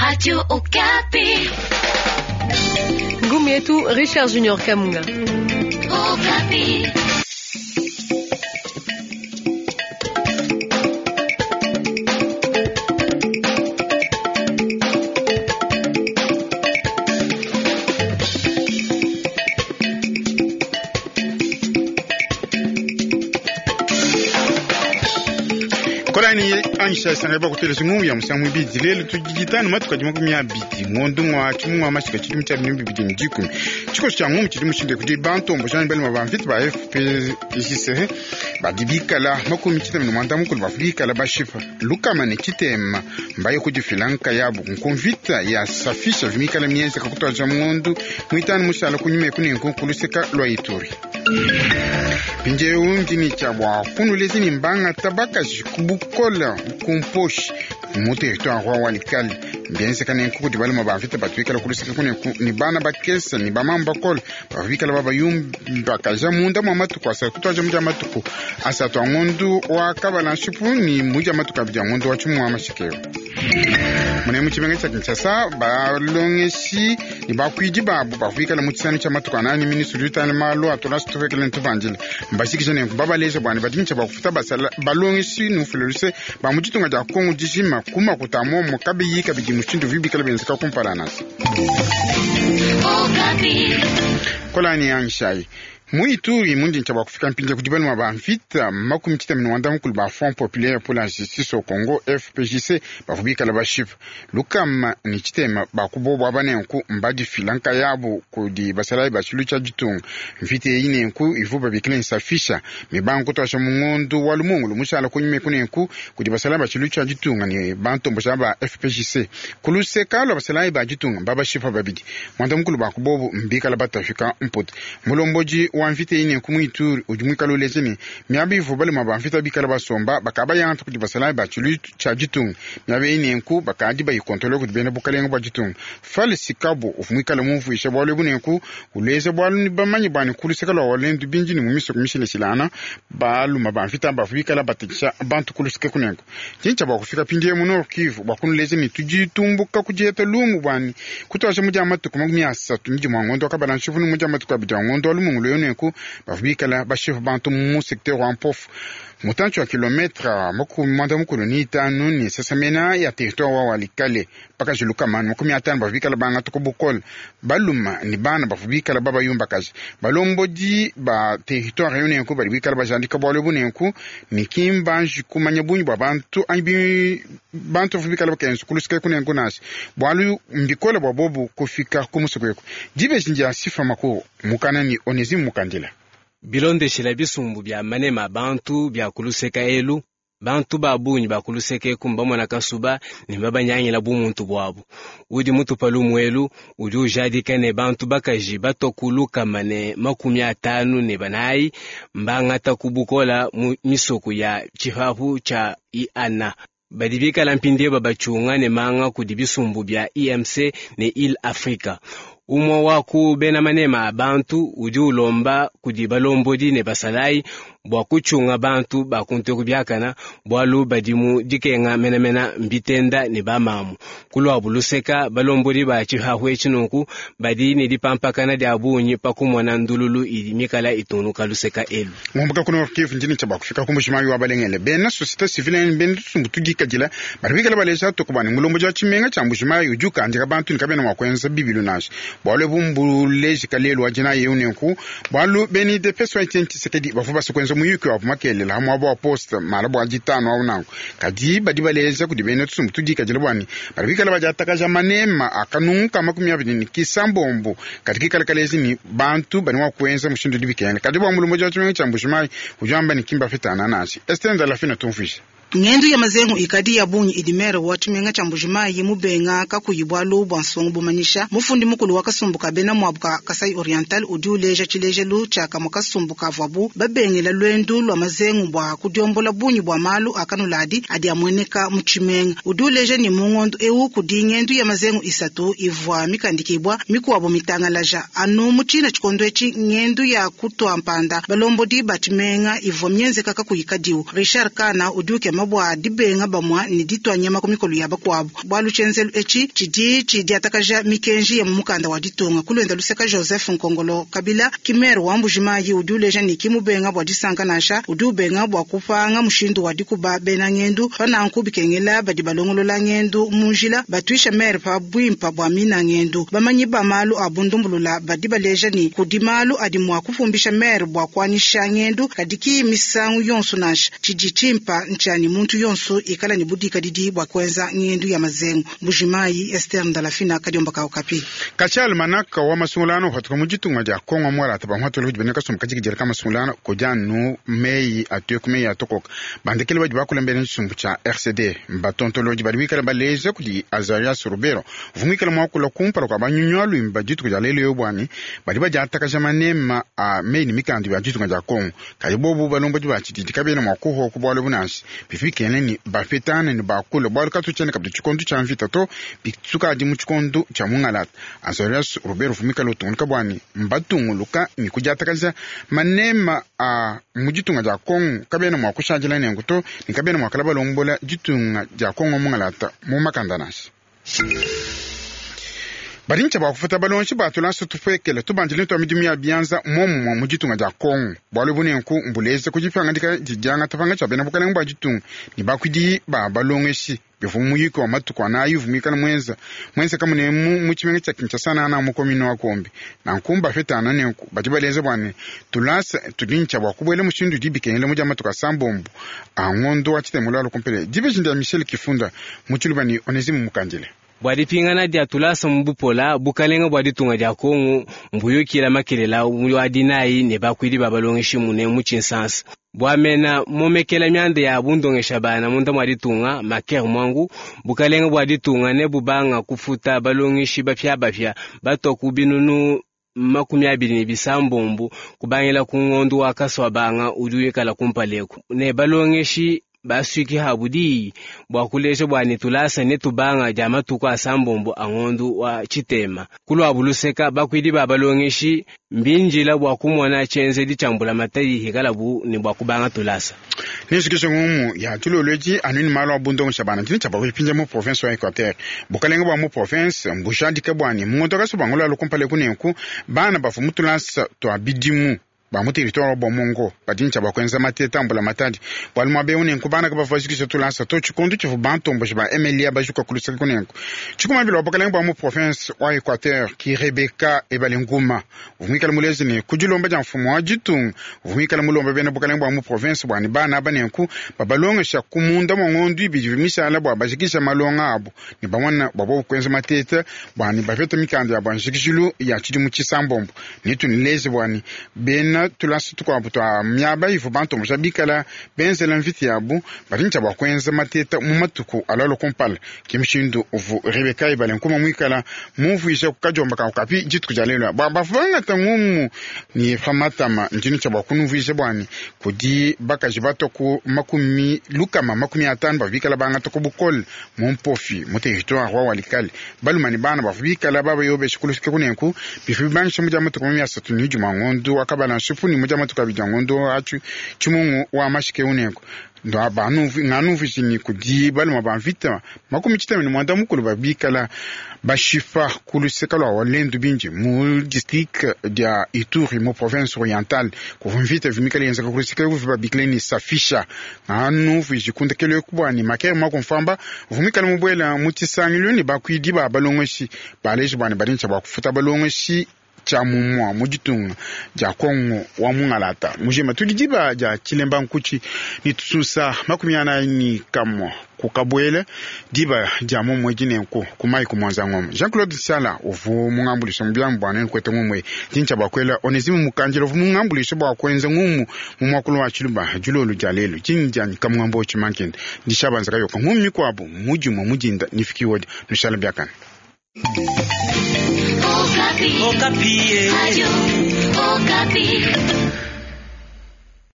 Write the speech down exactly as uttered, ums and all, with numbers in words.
Radio Okapi. Ngumu yetu Richard Junior Kamunga. Okapi. Kolani anyisha sanga ba kutelesa ngungu ya musangu ibidi lelo tujitano matuka jima kumi abidi ngondo ngwa chimu ngwa mashika chidimu cha binyu bibidi ni dikumi chikosi cha ngungu chidimu shinde kudi bantu ombo shani bali mabamvita ba F P J C badibikala makumi chitema ni mwanda mukulu bafubikala bashifa lukama ne chitema mbaye kudifilanka yabo nkumvita ya safisha vimikala mienza kakutwaja mundu mwitano mushala kunyuma kunenku kuluseka lwa Ituri. Pinjeu ndini cha bwa kunulezi ni mbanga tabakaji kubukola kumposhi mu territoire wa Walikale mbienzeka nenku kudi balima bavita batuikala kuluseka kuneku ni bana bakesa ni bamama bakola bavikala babayumbakaja munda mwa matuku asatu kutwaja muja matuku asatu angondu wa kabala nshipu ni muja matuku abidi angondu wa chimu wa mashikeo mune mu tshimenga tsha Kinshasa balongeshi ni bakwidi babo bavikala mu tshisanu tsha matuku anani ministre utani malu atola situvekele ntuvandile mbashikisha nenku babaleja bwani badintsha bakufuta basala balongeshi nufuleluse ba mu ditunga dia Kongo dijima kuma kutamomo kabiyi kabidi mushindu vibikala benzeka kumpala nasi. Okapi. Kolani yanshai muituri mundi ncha bakufika mpinja kudi balima ba mvita makumi tita minwanda mukulu ba Front populaire pour la justice au Congo F P J C bavubikala bashipa lukama ni chitema bakubobwa banenku mbadifila nkayabu kudi basalayi bachilu cha ditunga. Mvita eyi nenku ivu babikila nsafisha mibangu kutwasha mungondu wa lumungulu mushala kunyuma kunenku kudi basalayi bachilu cha ditunga ni bantombosha ba F P J C kuluseka lwa basalayi ba ditunga mbabashipa babidi mwanda mukulu bakubobu mbikala batafika mputi. Mulomboji wa mvita eyi nenku muituri udi mwikala uleze ni miaba ivu balima ba mvita bikala basomba bakaba yanta kudi basalayi ba chilu cha ditunga miaba eyi nenku bakadi bayikontrole kudi bena bukalenga bua ditunga. Falisi Kabo uvu mwikala mumvuisha bwalu ebu nenku uleze bwalu ni bamanyi bwani kuluseka lwa walendu binji ni mumisoko mishileshilana baluma ba mvita bavu bikala batekesha bantu kuluseka kunenku tshintsha bua kufika pindie mu Nord Kivu bua kunuleza ni tujitumbuka kudieta lumu bwani kutwasha mudia matuku makumi asatu midi mwa ngondo akabala nshivu ni mudia matuku abidi a ngondo wa lumungulu yo nenku bavu bikala bashefu bantu mu secteur wa Mpofu mutantshi wa kilometre makumi mwanda mukulu ni itanu ni sasamena ya territoire wa Walikale mpaka jilukamanu makumi atanu bavu bikala bangata ku bukola baluma ni bana bavu bikala babayumbakaji balombodi ba territoire yo nenku badi bikala bajandika bwalu ebu nenku ni kimbanji kumanya bunyi bwa bantu anyi bi bantu bavu bikala bakenza kulusika kunenku nasi bwalu mbikola bwa bobu kufika kumusuku eku dibeji ndia sifa makuru mukana ni Onesime Mukandila. Bilondeshela bisumbu bya manema bantu bya kuluseka elu bantu babunyi bakuluseka eku mbamona kasuba ne babanyangila bumuntu bwabu udi mutupa lumuelu udi ujadika ne bantu bakaji batokulukama ne makumi atanu ne banayi mbangata kubukola mu misoko ya tshipapu tshia iana badi bikala mpindieu babachunga ne manga kudi bisumbu bya I M C ne Il Africa. Umwe wa ku bena manema a bantu udi ulomba kudi balombodi ne basalayi bua kuchunga bantu bakunteku biakana bwalu badi mu dikenga menamena mbitenda ne bamamu kulwabu luseka balombodi ba tshihahu etshi nunku badi ne dipampakana dia bungi pa kumona ndululu idi mikala itunuka luseka elu. Ngomboka kuno Kivu ndini cha bakufika ku Mbujimayi wa balengele bena société civile bena tusumbu tudikadila bari bikala baleja tokubani mulombo ja tshimenga tsha Mbujimayi udi ukandika bantu ni kabena mwa kwenza bibilu nashi bwalu ebu mbuleji kalelu wa dina yeu nenku bwalu beni U D P S wa Etienne Tshisekedi bavu basa kwenza muyuki wabu makelela hamwe abo wa poste mala bwa ditano awu nanku kadi badi baleja kudi bena tusumbu tudikadila bwani bari bikala badiatakaja manema akanunka makumi abidi ni kisambombo kadi kikala kalezi ni bantu bani wa kuenza mushindu dibikenga kadi bwa mulombo ja tshimenga tsha Mbujimayi udi wamba ni kimba fitana nasi Esther Ndalafina tumfisha. Ngendu ya mazengu ikadi ya bungi idimere wa tshimenga tsha Mbujimayi mubenga kakuyi bwalu bwa nsongo bumanyisha mufundi mukulu wa kasumbu ka bena mwabu ka Kasai Oriental udi uleja tshilejelu tshia kamwe kasumbu kavuabu babengela lwendu lwa mazengu bwa kudiombola bungi bwa malu akanuladi adi amueneka mu tshimenga udi uleja ni mungondo ewu kudi ngendu ya mazengu isatu ivua mikandikibwa mikuabo mitangalaja anu mu tshina tshikondo etshi ngendu ya kutwa mpanda balombodi ba tshimenga ivua mienzeka kakuyi kadiwu Richard Kana udi ukema. dikema bua dibenga bamwa ne ditua nyama ku mikolo ya bakuabu. Bualu tshienzelu etshi tshidi tshidiatakaja mikenji ya mu mukanda wa ditunga. Kulwenda luseka Joseph Nkongolo Kabila ki maire wa Mbujimayi udi uleja ne ki mubenga bua disanka nansha udi ubenga bua kupanga mushindu wa dikuba bena ngendu pananku bikengela badi balongolola ngendu mu njila batuisha maire pa bwimpa bwa mina ngendu. Bamanyi ba malu a bundumbulula badi baleja ni kudi malu adi mua kufumbisha maire bua kuanyisha ngendu kadi ki misangu yonso nansha tshidi tshimpa ntshiani muntu yonso ikala ne budikadidi bua kuenza ngendu ya mazengu. Mbujimayi Esther Ndalafina kadiomba ka Okapi. Kachi almanaka wa masungulano hatuka mu ditunga dia Kongo mwala taba mhatolo hudi bene kasumbu kajikijela ka masungulano kojanu meyi atuye ku meyi atokoka bandekele badi bakulembele tshisumbu tshia R C D mbatontoloji badi bikala baleja kudi Azarias Rubero vumwikala mwakula kumpala kwa banyunywa lwimba dituku dia lelo yobwani badi badiatakaja manema a meyi ni mikandu ya ditunga dia Kongo kadi bobu balombodi ba tshididi kabena mwa kuho ku bwalo bunansi bifikene ni bafetane ni bakula bwalo katuchene kabidi tshikondo tshia mvita to bitsukadi mu tshikondo tshia mungalata. Azarias Rubero vumwikala utunguluka bwani mbatunguluka ni kudiatakaja manema a mu ditunga dia Kongo kabena mwa kushadila nengu to ni kabena mwa kala balombola ditunga dia Kongo mungalata mu makanda nansi. Badincha ba kufuta balonshi batula tupekele tubanjile twa midimu ya bianza momo mu ditunga dia Kongo bwalo bunenku mbuleze kujipanga ndika dijanga tapanga cha bena bukalenga bwa ditunga ni bakwidi ba balongeshi bivu muyiko wa matuku anayi vumikala mwenza mwenza kamune mu mu chimenga cha Kinshasa na na mukomino wa Kombi na nkumba fetana nenku badi baleze bwane tulasa tudincha bwa kubwele mushindu dibikengele muja matuka sambombo angondo wa chitemula lokumpele dibejinda Michel Kifunda muchilubani Onesime Mukandile. Bwa dipingana dia tulasa mubupola bukalenga bwa ditunga dia Kongo mbuyukila makelela wa dinayi ne bakwidi babalongeshi mune mu Tshinsansa. Bwamena momekela myanda ya bundongesha bana munda mwa ditunga maker mwangu bukalenga bwa ditunga ne bubanga kufuta balongeshi bapya bapya batoku binunu makumi abili ne bisambombo kubangila ku ngondo wa kaswa banga udi kumpaleku ne balongeshi baswiki habudi bwa kuleja bwa nitulasa netubanga ja matuku asambombo angondu wa chitema kulwa buluseka bakwidi babalongeshi mbinjila bwa kumona chenzedi chambula matayi hikalabu ni bwa kubanga tulasa nishikisho ngumu ya tuloloji anuni malo abundongo shabana tini chapa kupinja mu province wa Equateur bukalenga bwa mu province mbushadika bwani mungoto kasubangolo alukumpale kunenku bana bafu mutulasa twa bidimu ba mu territoire wa Mongo badincha bakwenza mateta mbula matadi bwali mwabe unenku bana kabafashikisha tulasa to chikondo chifu bantombo ba Emilia bajuka kulusaka kunenku chikumabilo bukalenga bwa mu province wa Equateur ki Rebecca Ebalenguma vumikala mulezi ne kujilomba ja mfumo wa jitunga vumikala mulomba bena bukalenga bwa mu province bwani bana banenku babalongesha kumunda mongondo ibidi vimishala bwa bashikisha malonga abo ni bamwana babo kwenza mateta bwani bafeta mikanda ya bwanjikishilu ya chidimu chisambombo nitunilezi bwani bena tulasa tukwabu twa myaba ivu bantu mushabikala benzela mviti yabu balincha bwa kwenza mateta mu matuku alalo kumpala kimishindu uvu Rebecca Ibale nkuma mwikala mumvuisha kukajomba ka kapi jituku jalelwa bwa bafanga tangumu ni famatama njini cha bwa kunumvuisha bwani kudi bakaji batoku makumi lukama makumi atano bavikala banga toko bukole mu mpofi mu territoire wa Walikale balumani bana bavubikala baba yobesha kulusike kunenku bifu bibangisha muja matuku makumi asatu ni juma ngondo akabala nshifu ni muja matuku abidi ngondo achu chimungu wa mashike unenku ndo banu nganu vijini kudi baluma bamvita makumi chitami ni mwanda mukulu babikala bashifa kuluseka lwa walendu binji mu district dia Ituri mu province orientale kuvumvita vimikala yenzaka kuluseka kuvi babikala ni safisha nganu vijikunda kele kubwani makere makumfamba vumikala mubwela mutisangilio ni bakwidi ba balongoshi baleji bwani balincha bakufuta balongoshi cha mumwa mujitunga ja Kongo wa mungalata mujema tulijiba ja chilemba nkuchi ni tususa makumi ana ni kamwa kukabwele diba ja mumwe jinenku kumai kumwanza ngoma Jean-Claude Sala uvu mungambulisho mbyambu bwana nkwete ngumwe jincha bakwela Onesime Mukanjelo uvu mungambulisho bwa kwenza ngumu mu mwakulu wa chiluba julolu jalelu jinja kamwambo chimankende ndishabanza kayoka ngumi kwabo mujumwa mujinda nifikiwodi nushala byakana. Okapi. Okapi. Radio Okapi.